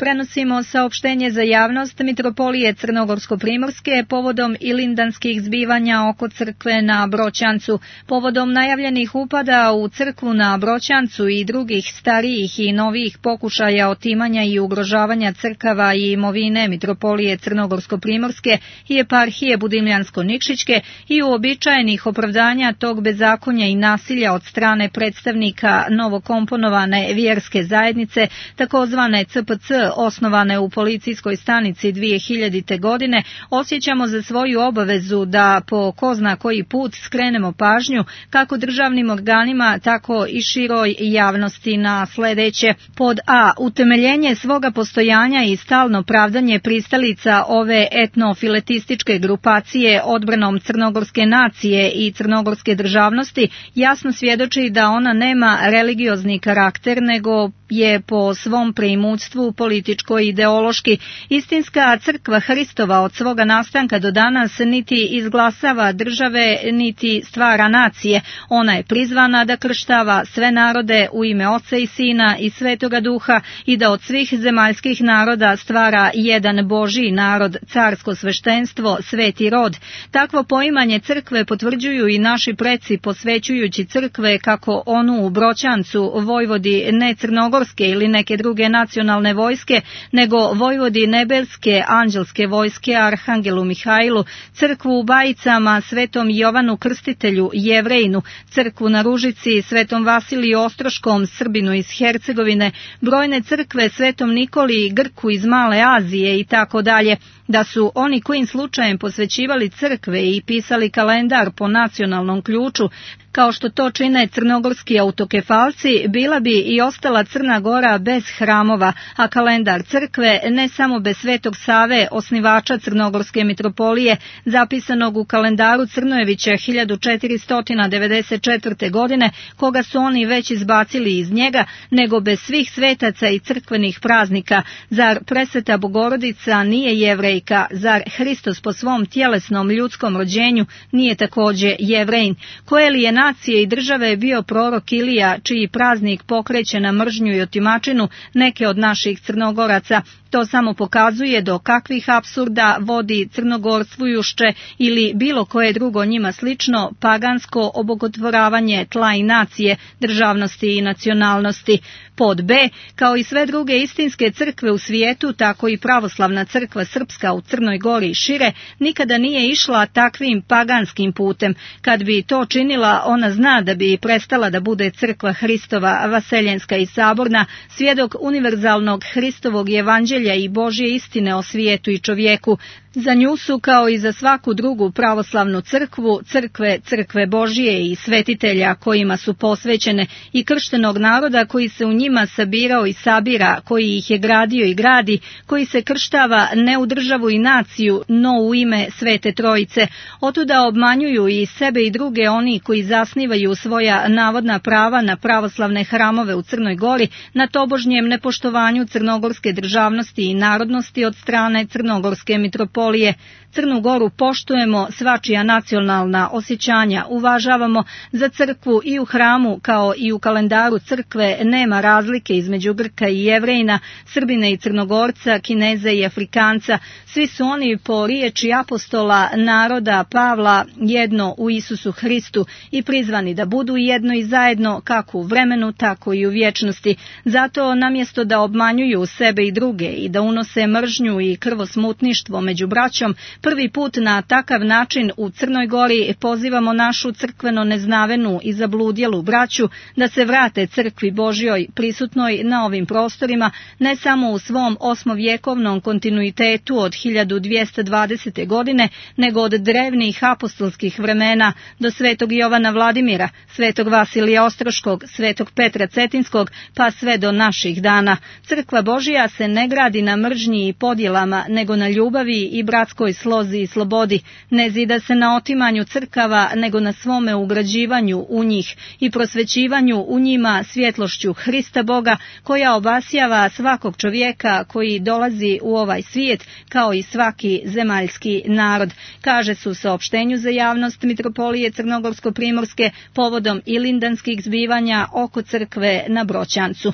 prenosimo saopštenje za javnost Mitropolije Crnogorsko-Primorske povodom ilindanskih zbivanja oko crkve na Broćancu. Povodom najavljenih upada u crkvu na Broćancu i drugih starijih i novijih pokušaja otimanja i ugrožavanja crkava i imovine Mitropolije Crnogorsko-Primorske i eparhije Budimljansko-Nikšićke i uobičajenih opravdanja tog bezakonja i nasilja od strane predstavnika novokomponovane vjerske zajednice, takozvane CPC, osnovane u policijskoj stanici 2000. godine, osjećamo za svoju obavezu da po ko zna koji put skrenemo pažnju kako državnim organima, tako i široj javnosti na sledeće. Pod A. Utemeljenje svoga postojanja i stalno pravdanje pristalica ove etnofiletističke grupacije odbranom crnogorske nacije i crnogorske državnosti jasno svjedoči da ona nema religiozni karakter, nego je po svom preimućstvu političko i ideološki. Istinska crkva Hristova od svoga nastanka do danas niti izglasava države, niti stvara nacije. Ona je prizvana da krštava sve narode u ime Oca i Sina i Svetoga Duha i da od svih zemaljskih naroda stvara jedan Božji narod, carsko sveštenstvo, sveti rod. Takvo poimanje crkve potvrđuju i naši preci posvećujući crkve kako onu u Broćancu vojvodi ne crnogorske ili neke druge nacionalne vojske, nego vojvodi nebelske anđelske vojske Arhangelu Mihajlu, crkvu u Bajicama Svetom Jovanu Krstitelju Jevrejnu, crkvu na Ružici Svetom Vasiliju Ostroškom Srbinu iz Hercegovine, brojne crkve Svetom Nikoli Grku iz Male Azije i tako dalje. Da su oni kojim slučajem posvećivali crkve i pisali kalendar po nacionalnom ključu, kao što to čine crnogorski autokefalci, bila bi i ostala Crna Gora bez hramova, a kalendar crkve ne samo bez Svetog Save, osnivača Crnogorske mitropolije, zapisanog u kalendaru Crnojevića 1494. godine, koga su oni već izbacili iz njega, nego bez svih svetaca i crkvenih praznika. Zar presveta Bogorodica nije Jevrejka? Zar Hristos po svom tjelesnom ljudskom rođenju nije takođe Jevrejin? Koje li je nacije i države je bio prorok Ilija, čiji praznik pokreće na mržnju i otimačinu neke od naših Crnogoraca? To samo pokazuje do kakvih apsurda vodi crnogorstvujušće ili bilo koje drugo njima slično pagansko obogotvoravanje tla i nacije, državnosti i nacionalnosti. Pod B. Kao i sve druge istinske crkve u svijetu, tako i pravoslavna crkva srpska u Crnoj Gori i šire nikada nije išla takvim paganskim putem. Kad bi to činila, ona zna da bi prestala da bude crkva Hristova, vaseljenska i saborna, svjedok univerzalnog Hristovog evanđelja i Božje istine o svijetu i čovjeku. Za nju su, kao i za svaku drugu pravoslavnu crkvu, crkve Božije i svetitelja kojima su posvećene i krštenog naroda koji se u njima sabirao i sabira, koji ih je gradio i gradi, koji se krštava ne u državu i naciju, no u ime Svete Trojice. Otuda obmanjuju i sebe i druge oni koji zasnivaju svoja navodna prava na pravoslavne hramove u Crnoj Gori, na tobožnjem nepoštovanju crnogorske državnosti i narodnosti od strane Crnogorske mitropolije. Crnu Goru poštujemo, svačija nacionalna osjećanja uvažavamo, za crkvu i u hramu kao i u kalendaru crkve nema razlike između Grka i Jevrejina, Srbina i Crnogorca, Kineza i Afrikanca. Svi su oni po riječi apostola naroda Pavla jedno u Isusu Hristu i prizvani da budu jedno i zajedno kako u vremenu, tako i u vječnosti. Zato namjesto da obmanjuju sebe i druge i da unose mržnju i krvosmutništvo među braćom, prvi put na takav način u Crnoj Gori pozivamo našu crkveno neznavenu i zabludjelu braću da se vrate crkvi Božjoj prisutnoj na ovim prostorima, ne samo u svom osmovjekovnom kontinuitetu od 1220. godine, nego od drevnih apostolskih vremena do Svetog Jovana Vladimira, Svetog Vasilija Ostroškog, Svetog Petra Cetinskog, pa sve do naših dana. Crkva Božja se ne gradi na mržnji i podjelama, nego na ljubavi i bratskoj slozi i slobodi. Ne zida se na otimanju crkava, nego na svome ugrađivanju u njih i prosvećivanju u njima svjetlošću Hrista Boga, koja obasjava svakog čovjeka koji dolazi u ovaj svijet, kao i svaki zemaljski narod, kaže se u saopštenju za javnost Mitropolije Crnogorsko-Primorske povodom ilindanskih zbivanja oko crkve na Broćancu.